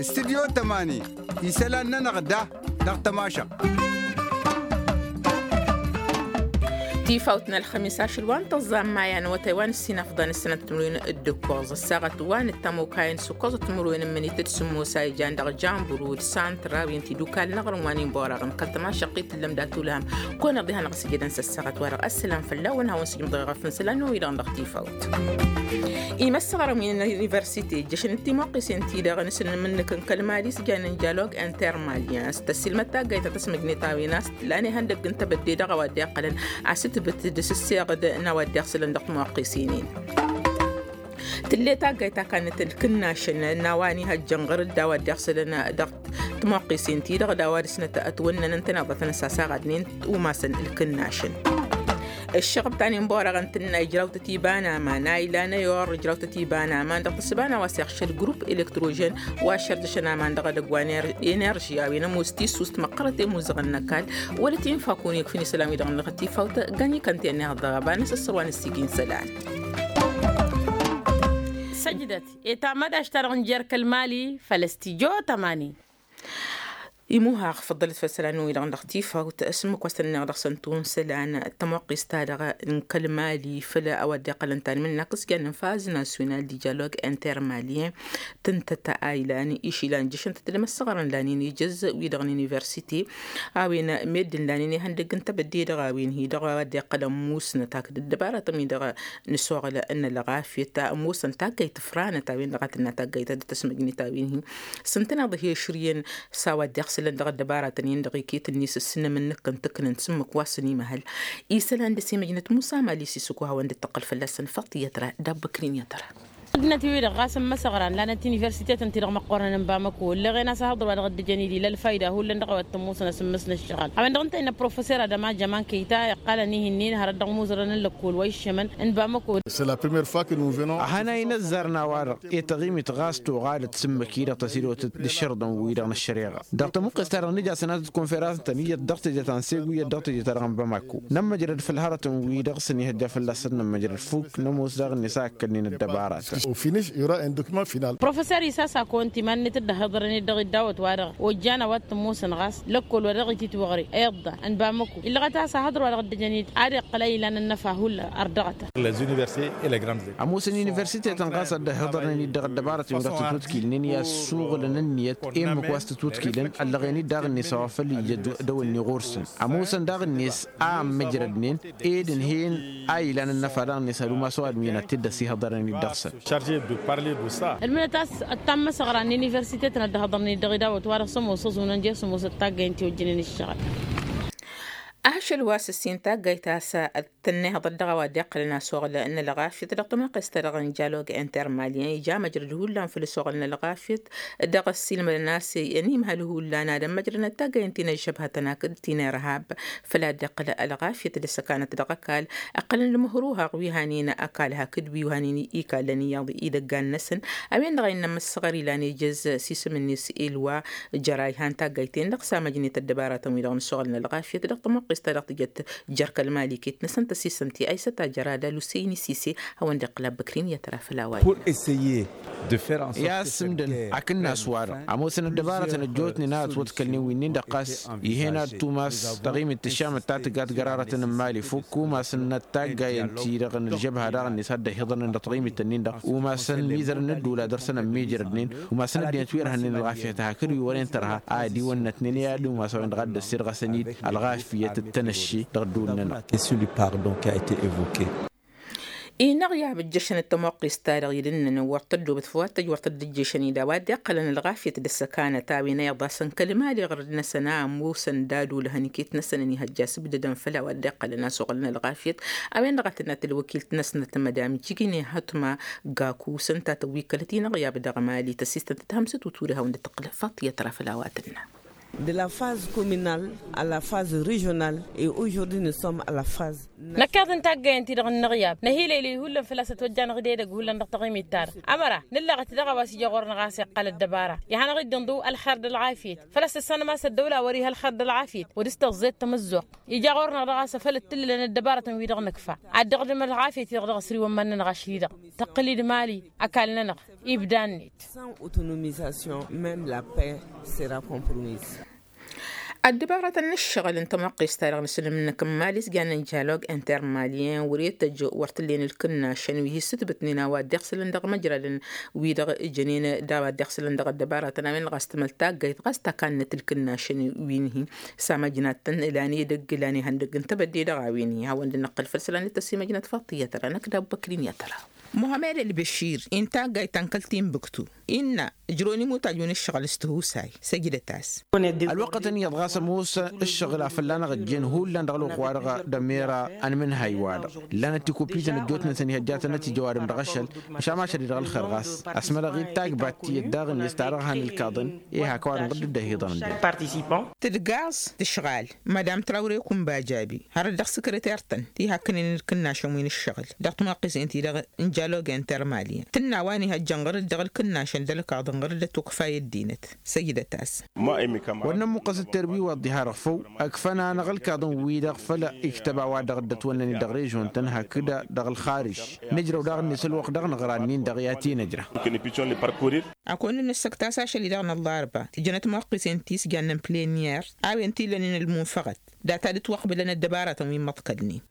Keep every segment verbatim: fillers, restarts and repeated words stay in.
Studyo tămani isălan-nănăɣ da dăɣ-tămašăɣt. Tifawt n-ălxămis ašăl wa n-tăẓẓa n-maya n-awătay wa n-ǝssin afḍăn ǝssănăt timǝrwen d-ǝkkoẓ ăssaɣăt wa n-ăttămokayăn s-ǝkkoẓăt timǝrwen n-imǝnit d-sǝmmos a ijan dăɣ-janburu d-santra wi n-tidukal n-aɣrǝm wa n-inborăɣ n-kăl-tămašăɣt i-tǝllăm dat-ulham. Kăwăn-iḍeha n-aɣ s-ijădăn s-ăssaɣăt-wa-dăɣ ăssălam fălla-wăn hawăn-sǝjmǝḍ ɣef n-isălan n-wi-dăɣ dăɣ-tifawt. Imăssăɣrăm-in n-universite ǝjjăšăn d-timuqqisen-ti-dăɣ n-asǝnnǝm-nǝk n-kăl-mali s-jan n-jalog intermalien s-tăssilmăd taggayt ta tăsmăjnet a-wen a-s tǝllan ihăndăgg n-tebădde dăɣ-a-wa dd-iqqălăn asǝtbǝt d-asǝsseɣ d-a-wa dd-iɣsǝlăn dăɣ-timuqqisen-in. Tǝlle taggayt ta kannăt ǝlkǝnnašăn n-a-wa n-ihăjjăn ɣăr-dd a-wa dd-iɣsǝlăn dăɣ-timuqqisen-ti-dăɣ d-a-wa dăr-snăt ătwănnăn ǝntăneḍ a tăn-ăssaɣadnen umasăn ǝlkǝnnašăn. Ǝššăɣb ta n-inborăɣăn tǝnna ijrawtăt iba n-aman a ilan ayor ijrawtăt iba n-aman dăɣ-tǝssǝba n-a-wa s-iɣšăl grup elektrožen wa šărdăšăn aman dăɣ-edăgg wa n-enerži a-wen ămoos tissust măqqărăt i-imuzăɣăn n-ăkall wăla tinfakun ikf'-in isălan-wi-dăɣ n-dăɣ-tifawt. Găn-ikănten ihăḍ dăɣ-ăbanăs ăssărwan ǝssigin isălan. Săjdăt etammădaš-ta-dăɣ n-jer-kăl-mali făll-ăstijjo tămani. Imuhaɣ făḍḍălăt făll-isălan-wi-dăɣ n-dăɣ-tifawt s-ǝmmǝk wa s-tăn-ănneɣ dăɣ-săn tunsa ălan tămoqqist-ta-dăɣ n-kăl-mali făll-a-wa dd-iqqălăn tanmǝnna kăs-jan n-faz nasyonal dijalog intermalien. Tǝntăt a ilan išilan jăšăn-tăt d-imăssăɣrăn lanen ijăz wi-dăɣ n-universite a-wen meddǝn lanen ihăndăgg n-tebădde dăɣ-a-wen hi-dăɣ a-wa dd-iqqălăn musnăt hakd ăddăbaratăn wi-dăɣ n-asuɣǝl n-ălɣafyăt ămoosăn taggayt tǝfranăt a-wen-dăɣ a tǝnna taggayt ta dd-tăsmăjnet a-wen-hi. S-ǝntăneḍ hi-ašrǝyăn s-a-wa dd-iɣsǝlăn dăɣ-ăddăbaratăn-in-dăɣ iket-net s-ǝnnǝm-nǝk n-tǝknǝnt s-ǝmmǝk wa s-ănimăhăl isălan dăr-s imăjnăt musa mali s-isǝkuha wa n-dd-tăqqăl fălla-săn făṭṭiyăt ra d-abbăkrin i-ad-tăra. Ăddinăt-wi-dăɣ ɣas n-imăsăɣran lanăt universitetăn-ti-dăɣ măqqoorăn n-bamăko ǝlleɣen a-s ahăḍăr wa dăɣ-dd-ǝjăn-dd ila ălfayda hullan dăɣ-a-wa t-ămoosăn asǝmmǝs n-ǝššăɣǝl a-wen-dăɣ ǝnta innă professor adăma jăman kăyta iqqalăn ih'-ǝnnin hărăt dăɣ-imuzărăn n-lăkkol wa iššămăn n-bamăko. Ad-hanăy n-ăzzar n-a-wa-dăɣ i-taɣimit ɣas tuɣalăt s-ǝmmǝk-i-dăɣ tăsidotăt d-ašărḍăn-wi-dăɣ n-ăššăreɣa dăɣ-tămuqqes-ta-dăɣ nǝja sănatăt konferans-tăn iyyăt dăɣ-teje ta n-segu iyyăt dăɣ-teje-ta-dăɣ n-bamako. Nămmăjrăd făll-hărătăn-wi-dăɣ s-ănihăjja fălla-săn nămmăjrăd fuk nămoos daɣ-net a ǝkkălnen ăddăbaratăn. Professor isasako ǝnta iman-net dd-ăhhiḍărăn-dd dăɣ-iddawăt-wa-dăɣ ojjan a-wa t-ămoosăn ɣas lăkkol wa dăɣ-ititwăɣre iḍḍa n-bamako illăɣăt a-s ahăḍăr wa dăɣ-dd-ăjăn-dd ad-iqqăl a ilan ănnăfa hullan ărdăɣătăn. Ămoosăn universitetăn ɣas a dd-ăhhiḍărnen-dd dăɣ-ăddăbarătăn wi-dăɣ tǝtwǝtkilnen i-ad-suɣǝlăn ǝnniyăt i-ǝmmǝk wa s-tǝtwǝtkilăn ăllăɣen-dd daɣ-net a-wa făl ija dăwănni ɣur-săn. Ămoosăn daɣ-net a ămmăjrădnen ed ǝnhăyăn a ilan ănnăfa daɣ-net ad-umas ăwadǝm-in ad-t-dd-ăsihăḍ dăr-ănănit dăɣ-săn. Ălmǝnăt a-s ăttan măsăɣra n-universitetăn ad-dd-hăḍărnen-dd dăɣ-idawăt wa dăɣ-sămoos ăẓunăn jer-sămoosăt taggăyăn ti ojjănen ǝššăɣǝl. Ašăl wa s-ǝssin taggăyt a-s tănnihăḍăt dăɣ-a-wa dd-iqqălăn asuɣǝl n-ălɣafyăt dăɣ-tămoqqest-ta-dăɣ n-jalog intermalien ija măjrăd hullan făll-asuɣǝl n-ălɣafyăt. Dăɣ-ăssiilmădăn a-s ănimhăl hullan ad-ămmăjrănăt taggăyăn ti n-ăžžăbhătăn hakd ti n-irhab făl a dd-iqqăl ălɣafyăt d-asăkanăt dăɣ-ăkall. Ǝqqălăn lămăhruha wi hanen ăkall hakd wi hanen ikallăn iyyăḍ idăggan-năsăn. A-wen-dăɣ a innă ămmăssăɣăr ilan ejăz s-isǝm-net elwa jăra ihan taggayt-en-dăɣ s-amăjnet ăddăbaratăn-wi-dăɣ n-asuɣǝl n-ălɣafyăt dăɣ-tămoqqest-ta-dăɣ tǝjăt jer-kăl-mali iket-năsăn tăsisăn ti aysăt ajăr adal usăyni sise. Hawăn-dd-iqqǝl abbăkrin i-ad-tăra făll-a-wa-dăɣ. Pur essayer de fer n-sort. I-ad-sǝmdăn hakd n-a-s wa-dăɣ ămoosăn ăddăbarătăn ăjjootnen a ătwăḍkălnen wi-nin-dăɣ ɣas ih'-en ad-tumas taɣimit tǝššamăt ta tǝggat gărarătăn n-mali fukk umasăn n-ad-taggayăn-ti-dăɣ n-ălžăbha daɣ-net a dd-ăhiḍărnen dăɣ-taɣimit-nin-dăɣ umasăn mizărăn n-ăddula dăr-săn ămmiijrădnen umasăn ăddinăt wi ărhănnen ălɣafyăt hakd wi wăren tărha a ădiwănnătnen i-ad-umas a-wen-dăɣ a dd-ăssirɣăsăn-dd ălɣafyăt d-tanăšše dăɣ-ăddul-nănăɣ. Inăɣ i-abǝjjăšăn d-tămoqqist-ta-dăɣ idǝnnăn wăr tăddobăt făw ad-tăj wăr tăddăjješăn-dd a-wa dd-iqqălăn ălɣafyăt d-ăssăkanăt a-wen a iḍasăn kăl-mali ɣărăd-năsăn a ămoosăn d-ad-olăhăn iket-năsăn ănihăjja s-ǝbdădăn făll-a-wa dd-iqqălăn asuɣǝl n-ălɣafyăt. A-wen-dăɣ a tǝnnă tălwăkilt-năsnăt madam jigine hătma gaku s-ǝnta tăwwikkălăt-inăɣ i-abdăɣ mali tăsistăn tăt-hămsăt uture hawăn-dd-tǝqqǝl faṭiyăt ra făll-a-wa tǝnnă. De la phase communale à la phase régionale, et aujourd'hui nous sommes à la phase. Năkkaḍ n-taggăyăn-ti-dăɣ n-inăɣyab năhilăylăy hullan făl-a-s ătwăjja anăɣ-dd edăgg hullan dăɣ-taɣimit-ta-dăɣ. Ămăra nǝllăɣăt daɣ a-wa s-ija ɣur-năɣ a-s iqqăl ăddăbara. Ihănăɣ-dd inḍǝw ălxer d-ălɣafyăt făl-a-s tăssanăm a-s ăddăwla a wăr-iha ălxer d-ălɣafyăt wăr dăr-s tăẓẓet tamǝzzuɣt. Ija ɣur-năɣ daɣ a-s afăl d-tǝllǝlăn ăddăbaratăn-wi-dăɣ nǝkfa ad-dăɣ-dăm ălɣafyăt-i-dăɣ dăɣ-s riwăn iman-nănăɣ ašli-dăɣ tăqqǝl-dd mali. Ăkall-nănăɣ ibda-net. Sans autonomisation, même la paix sera compromise. Ăddăbaratăn n-ǝššăɣǝl n-tămwăqqist-ta-dăɣ n-asǝlǝm-năk n-mali s-jannen jalog intermalien wăr-e tăjj wăr t-ǝllen ǝlkǝnnašăn wi hi-ǝssǝtbǝtnen a-wa dd-iɣsǝlăn dăɣ-imăjralăn wi-dăɣ ǝjănen d-a-wa dd-iɣsǝlăn dăɣ-ăddăbaratăn a-wen-dăɣ a-s tǝmăl taggayt ɣas takannăt ǝlkǝnnašăn wi n-hi. S-amăjnat-tăn ǝlan edăgg ǝlan ihăndăgg n-tebădde dăɣ-a-wen hi hawăn-dd-năqqăl făll-isălan d-tăsimăjnat faḍt i-ad-tăra năkk d-abbăkrin i-ad-tăra. Muhămed ălbăšir inta aggay tankălt ti n-bǝktu innă ǝjrăwăn imutaju n-ǝššăɣǝl s-tihusay. Săjdăt-as. Ălwăqqătăn iyyăḍ ɣas ămoos ǝššăɣǝl a fălla-năɣ ǝjjen hullan dăɣ-ălwăqq-wa-dăɣ d-ămera ănmǝnhăy-wa-dăɣ. Ǝllanăt tikupităn ăjjootnen-săn ihăjjatăn ad-t-ija ăwadǝm dăɣ-ašăl. Măšan ašăl-i dăɣ-ălxer ɣas ăsmălăɣ-dd tagbat tiyyăt daɣ-net ta dăɣ-han ǝlkaḍăn. I-hak ăwadǝm ɣǝdd-dd-ăhiḍăn. Tǝdgaẓ tǝšɣal madam trawre kunba jabi hărăt dăɣ-sǝkrăter-tăn ti hakkănen ǝlkǝnnašăn wi n-ǝššăɣǝl dăɣ-timăqqisen-ti-dăɣ n-jalog intermalyen tǝnna wa n-ihăjjăn ɣur-dd dăɣ-ălkǝnnašăn d-ălkaḍăn ɣur-dd ătwăkfa i-ăddinăt. Săjdăt-as. Wăr nămmuqqăs d-terbiwa dd-iha-dăɣ făw ăkfăn-anăɣ ălkaḍăn-wi-dăɣ făll-iktăb a-wa dăɣ-dd-ătwănnăn-dd dăɣ-režion-tăn hakd-dăɣ ălxarǝj. Nǝjrăw daɣ-net ălwăqq dăɣ-năɣra-nin-dăɣ i-ad-t-nǝjra. Akăwăn-dd-nǝssăkt a-s ašăl-i-dăɣ n-ăllarba tǝjjăn ătmăqqisen ti s-jannen pleniyer a-wen t-ilănen ălmunfăɣăt data dd-ătwăqbǝlăn ăddăbaratăn wi n-imăḍkălnen.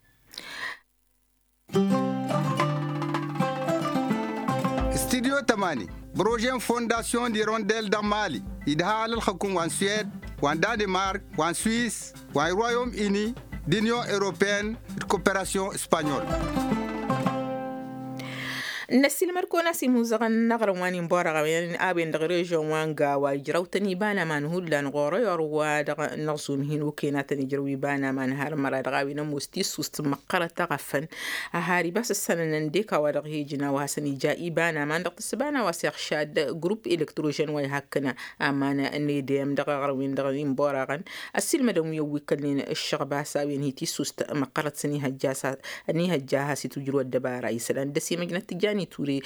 Studyo tămani projet n-fondasyon d-irondel dăɣ-mali idha alălxăkum wa n-sued wa n-danemark wa n-suis wa n-royaume uni d-union europeen d-koperasyon espanyol. Năssiilmăd-kăwăn-as imuzăɣăn n-aɣrǝm wa n-inborăɣ a-wen dăɣ-režyon wa n-gawa ijrăw-tăn iba n-aman hullan ɣur-ăyor wa dăɣ-năɣzum hin-oken a tăn-ijrăw iba n-aman har măra dăɣ-a-wen ămoos tissust măqqărăt aɣăfăn. Ăhar iba s-ăssănănăn dek a-wa-dăɣ hi-ǝjna wa hasăn-ija iba n-aman dăɣ-tǝssǝba n-a-wa s-iɣšad grup elektrožen wa ihakkăn aman n-edem dăɣ-aɣrǝm-win-dăɣ n-inborăɣăn. Ăssiilmădăn wi ăwwikkălnen ǝššăɣba s-a-wen hi-tissust măqqărăt s-ănihăjja has-itujrǝw ăddăbara isălan d-ăsimăjnăt tǝjjan iture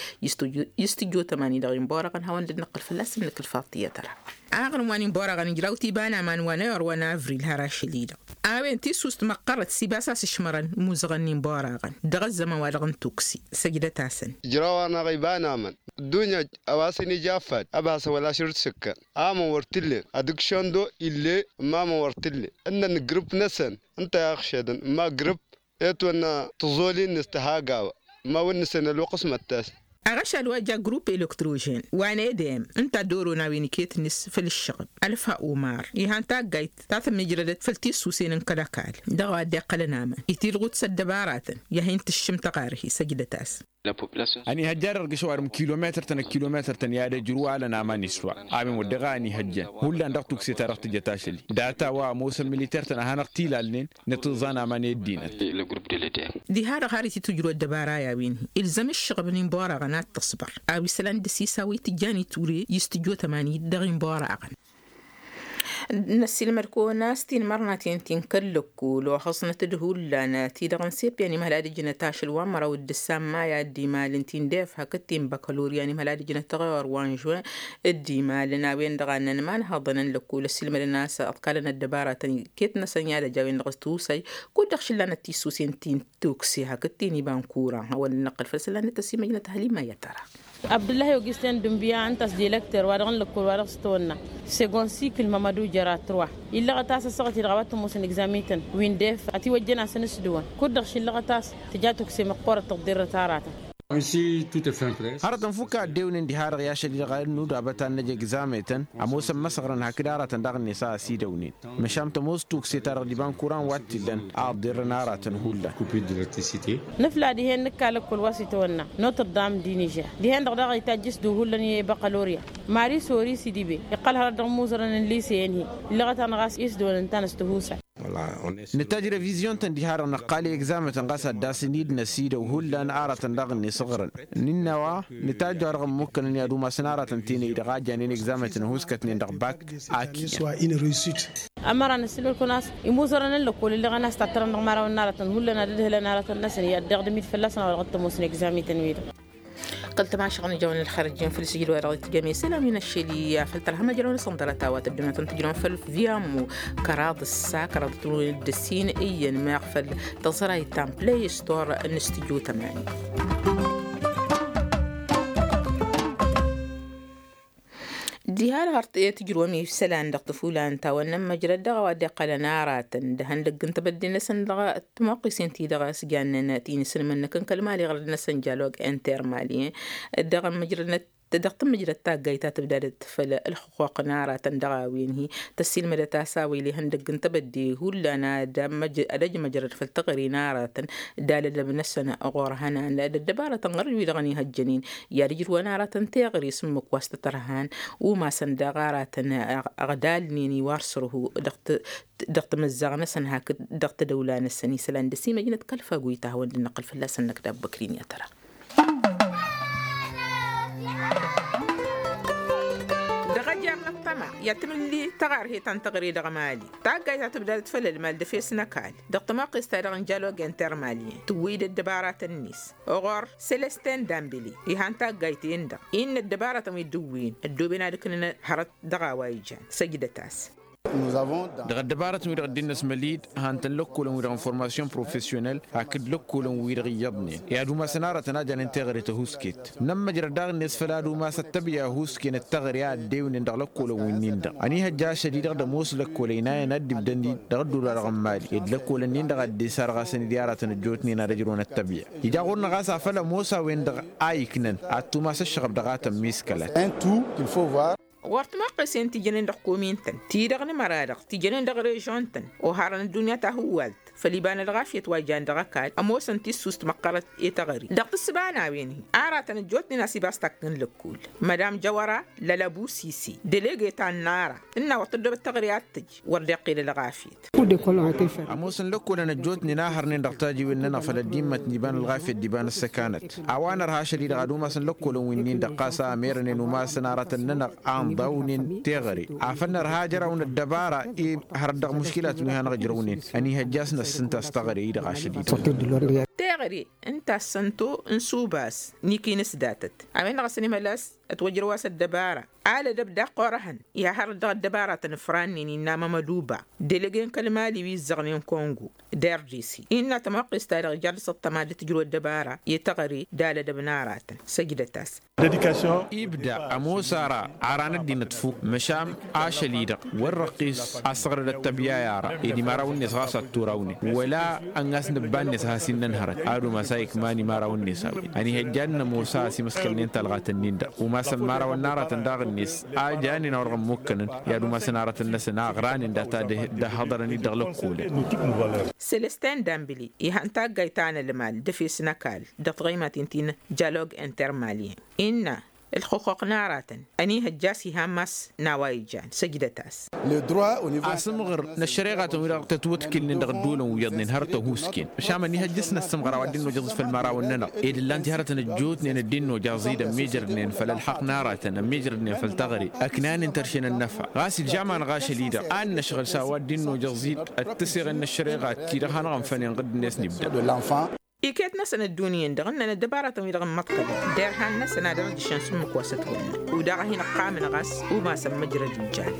i-s tǝjjo tămani dăɣ-inborăɣăn hawăn-dd-năqqăl fălla-săn nǝkǝl faḍt i-ad-tăra. Aɣrǝm wa n-inborăɣăn ijraw-t iba n-aman wa n-ayor wa n-avril har ašăl-i-dăɣ a-wen tissust măqqărăt s-ibas a-s ǝšmărăn imuzăɣăn n-inborăɣăn dăɣ-ăzzăman wa dăɣ-n tuksi. Săjdăt-asăn. Ijraw-anăɣ iba n-aman ǝddunya a-wa s-inija affad ăbhasăn wăla ašăl d-sǝkkăn. Amăn wăr t-ǝllen ad-dăɣ šăndo ill'-e ǝmma amăn wăr t-ǝllen ǝnnăn grǝp-năsăn ǝnta i-aɣšedăn ǝmma grǝp etwănna tăẓoli-net tăhagawa. Ǝmma wăr nǝsăn ălwăqq s-măttas. Aɣăšal wa ja grup elektrožen wa n-edem ǝnta dd-oron a-wen iket-net făll-ǝššăɣǝb ălfa umar ihan taggayt ta tămmijrădăt făll-tissusen n-kăl-ăkall dăɣ-a wa dd-iqqălăn aman itilɣut s-ăddăbaratăn i-ad-hin-tǝššǝm tăɣarhi săjdăt-as. Ănihăjja dăɣ-dăɣ ăgg-s ăwadǝm kilometăr-tăn ăkkilometăr-tăn i-ad-ăjrǝw alăn aman iswa a-wen wăr dăɣ-a ănihăjjăn hullan dăɣ-tukse-ta-dăɣ tǝjăt ašăl-i. Data wa ămoosăn militer-tăn ad-hanăɣ-t-ilalnen nǝtǝẓẓan aman i-ăddinăt. Diha-dăɣ har ititǝjrǝw ăddăbara i-a-wen-hi ilzăm ǝššăɣǝb n-inborăɣăn ad-tǝṣbăr a-wa isălan d-ăsisaw i-tǝjjan iture i-s tǝjjo tămani dăɣ-inborăɣăn. Năssiilmăd-kăwăn a-s tinmărnaten ti n-kăl-lăkkol oxăẓnăt-dd hullan ti-dăɣ n-sepyan imhăl ad-ǝjnăt ašăl wa n-măraw d-ǝssan maya dd-imalăn ti n-def hakd ti n-băkălorya n-imhăl ad-ǝjnăt ăɣeyor wa n-žuwen. Dd-imalăn a-wen-dăɣ a ǝnnăn imanhăḍăn n-lăkkol ăssiilmădăn a-s ăḍkalăn ăddăbaratăn iket-năsăn i-ad-ăj a-wen-dăɣ s-tusay. Kud-dăɣ šǝllanăt tissuse n-ti n-tukse hakd ti n-iba n-kuran hawăn-dd-năqqăl făll-isălan d-tăsimăjnăt hălimma i-ad-tăra. Abdǝllahi ogisten dǝnbǝya ǝnta a-s dilăkter wa dăɣ-n lăkkol wa dăɣ-s tăwănna segon sikǝl mămădu jăra trwa illăɣăt a-s ăssaɣăt-i-dăɣ a-wa t-ămoosăn egzamităn wi n-def ătiwăjjăn-asăn s-dăwăn kud-dăɣ šǝllăɣăt a-s tǝja tukse măqqoorăt tăḍḍirrăt aratăn. Hărăt ănfuk a ăddewnen diha-dăɣ i-ašăl-i-dăɣ a dd-nuda băta n-năj egzametăn ămoosăn măsăɣrăn hakd aratăn daɣ-net a ăsidăwnen. Măšan tămoos tukse-ta-dăɣ d-iba n-kuran wa t-illăn a ăḍḍirrăn aratăn hullan. Nǝfla dihen nǝkka lăkkol wa s-itawănna notre dame di nižer dihen-dăɣ daɣ itajj s-du hullan i-băkălorya. Mari sori sidibe iqqăl hărăt dăɣ-imuzărăn n-lise-en-hi illăɣăt-anăɣ a-s isdăwăn ǝnta n-ăstăhusa. Nǝtajj revizyon-tăn diha-dăɣ năqqal i-egzamen-tăn ɣas ad-dd-asǝn-dd năsidăw hullan aratăn daɣ-net ǝɣrăn. Nǝnna wa nǝtajj wa dăɣ-ămmukkănăn i-ad-umasăn aratăn tenăy-dăɣ a janen egzamen-tăn ăhuskătnen dăɣ-bak. Aki. Ămăra n-ăssilmăl-kăwăn a-s imuzărăn n-lăkkol ǝlleɣăn a-s tattărăn dăɣ-imărawăn n-aratăn hullan ad-ǝdhǝlăn aratăn-năsăn i-ad-dd-iɣdǝm-dd fălla-săn a-wa dăɣ-t-ămoosăn egzamen-tăn-wi-dăɣ. Kăl-tămašăɣ n-ijawăn ălxărăjjen făll-sǝjǝd wa dăɣ-t-jăme isălan wi n-aššăl i-afăl tărha măjrăwăn s-ănḍărăt a-wa tăddunătăn tǝjrăwăn făll-viyammu kăraḍ ǝssa kăraḍ tǝrun d-ǝssin iyyăn meɣ făll-tăẓrayt ta n-play store n-studio tămani. Diha-dăɣ har tǝjrǝwăm isălan dăɣ-tǝfulan ta wa n-nămmăjrăd dăɣ-a-wa dd-iqqălăn aratăn d-ihăndăgg n-tebădde-năsăn dăɣ-timoqqisen-ti-dăɣ a-s jannen ti n-isǝnmănnăk n-kăl-mali ɣărăd-năsăn jalog intermalien dăɣ-tǝmmǝjrăd taggayt ta tǝbdadăt făll-ălxuqquq n-aratăn dăɣ-a-wen-hi tăssiilmădăt a-s a-wa ila ihăndăgg n-tebădde hullan ad-ăjmăjrăd făll-teɣăre n-aratăn d-alădăb-năsăn ɣur-hănan d-ăddăbarătăn ɣărăj-wi-dăɣ ănihăjjănen i-ad-ǝjrǝwăn aratăn teɣăre s-ǝmmǝk wa s-tătărhan umasăn daɣ aratăn ăɣdalnen iwar sărhu dăɣ-t dăɣ-timǝzzaɣ-năsăn hakd dăɣ-tadăwla-năsăn isălan d-ăsimăjnăt kăl-fagoy ta hawăn-dd-năqqǝl fălla-săn năkdab băkrin i-ad-tăra. Dăɣ-ajam n-ăṭṭăma i-ad-tǝmǝlli tăɣarhe ta n-teɣăre dăɣ-mali taggayt ta tǝbdadăt făll-ălmal d-efes n-ăkall dăɣ-tămoqqes-ta-dăɣ n-jalog intermalien tǝwwǝy-dd ăddăbaratăn-net ɣur-selestin dambili ihan taggayt-en-dăɣ innă ăddăbaratăn wi dd-ǝwwǝyăn ăddooben ad-ǝknǝn hărăt dăɣ-a-wa ijan săjdăt-as. Dăɣ-ăddăbarătăn-wi-dăɣ dd-innăsmăl-dd han-tăn lăkkolăn-wi-dăɣ n-formasyon profesyonel hakd lăkkolăn-wi-dăɣ iyyăḍnen i-ad-umasăn aratăn a janen teɣăre tăhusket. Nămmăjrăd daɣ-net făll-ad-umas ăttăbya ăhusken d-teɣăre a ăddewnen dăɣ-lăkkolăn-winnin-dăɣ ănihăjja ašăl-i-dăɣ d-ămoos lăkkolăn inayăn ad-dd-ibdăn-dd dăɣ-ădduul-wa-dăɣ n-mali ed lăkkolăn-nin-dăɣ a dd-isarɣasăn-dd i-aratăn ăjjootnen ad-ăjrăwăn ăttăbya. Ija ɣur-năɣ a-s afăl ămoos a-wen-dăɣ a iknăn ad-tumas ăššăɣăb dăɣ-a tămmiskălăt. Ɣur-timoqqesen ti jănen dăɣ-komin-tăn ti-dăɣ n-imăra-dăɣ ti jănen dăɣ-režon-tăn oharăn ăddunya tahǝwwalt făll-iba n-ălɣafyăt wa ijan dăɣ-ăkall ămoosăn tissust măqqărăt i-teɣăre dăɣ-tǝssǝba n-a-wen-hi aratăn ăjjootnen a-s iba s-takk n-lăkkul. Mădam jăwăra lălăbusisi delege ta n-ara tǝnna wăr tăddoobăt teɣăre ad-tǝj wăr dd-iqqel ălɣafyăt. Ămoosăn lăkkolăn ăjjootnen a hărnen dăɣ-tajiwen-nănăɣ făll-ăddimmăt n-iba n-ălɣafyăt d-iba n-ăssăkanăt a-wa nărha ašăl-i-dăɣ ad-umasăn lăkkolăn wi-nin-dăɣ ɣas a merănen umasăn aratăn-nănăɣ a ǝnḍawnen teɣăre afăl nărha ajăraw n-ăddăbara i-hărăt dăɣ-muškilatăn wi hanăɣ-ǝjrăwnen ănihăjja a-s năssǝnta s-teɣăre-i-dăɣ ašăl-i-dăɣ. Teɣăre ǝnta s-sănto n-subas n-ikinǝs datăt a-wen-dăɣ a-s ănimăla a-s ătwăjrăw a-s ăddăbara alădăb daɣ ɣur-ehăn i-ad-hărăt dăɣ-ăddăbaratăn ǝfrannen innă amămăduba delege n-kăl-mali wi ǝzzăɣnen kongo d-rdc innă tămoqqes-ta-dăɣ ija dăɣ-s ăṭṭăma d-tǝjrǝw ăddăbara i-teɣăre d-alădăb n-aratăn săjdăt-as. Ibda ămoos ara aran ăddinăt fuk măšan ašăl-i-dăɣ wăr răqqis a-s ăɣrăd ăttăbya i-ara ed imărawăn-net ɣas ad-turawnen wăla ăngas n-ǝbba-net a has-innăn hărăt ad-umas a ikman imărawăn-net a-wen ănihăjja ad-nămoos a ăsimăskălnen talɣat-nin-dăɣ umasăn imărawăn n-aratăn daɣ-net a janen a wăr ɣǝmmukkănăn i-ad-umasăn aratăn-năsăn a ăɣranen data d-ăhhăḍărăn-dd dăɣ-lăkkolăn. Selestin dambili ihan taggayt ta n-ălmal d-efes n-ăkall dăɣ-tiɣăymaten ti n-jalog intermalien innă ǝlxǝqquq n-aratăn ănihăjja a-s iha n-mass n-a-wa ijan săjdăt-as. Asǝmɣăr n-ăššăreɣatăn-wi-dăɣ tătwătkǝlnen dăɣ-ădduulăn wi iyyăḍnen har tăhusken măšan ănihăjja a-s năssǝmɣăr a-wa dd-innu ăjăẓ-dd făll-imărawăn-nănăɣ ed ǝllan-t i-hărătăn ăjjootnen dd-innu ăjăẓ-dd ămmiijrădnen făll-ălxaqq n-aratăn ămmiijrădnen făll-teɣăre ăknanen tărše n-ănnăfa ɣas ǝlžamănăɣ ašăl-i-dăɣ a ǝnnăšɣǝl s-a-wa dd-innu ăjăẓ-dd ăttăseɣen n-ăššăreɣa ti-dăɣ hanăɣ-ănfănen ɣǝdd-net n-ibda. Iket-năsăn ăddunya-en-dăɣ ǝnnăn ăddăbaratăn-wi-dăɣ ǝmmăḍkălăn derhan-năsăn ad-ărjǝšăn s-ǝmmǝk wa s-ătwănnăɣ udaɣ a hin-ăqqamăn ɣas umasăn măjrăd ijan.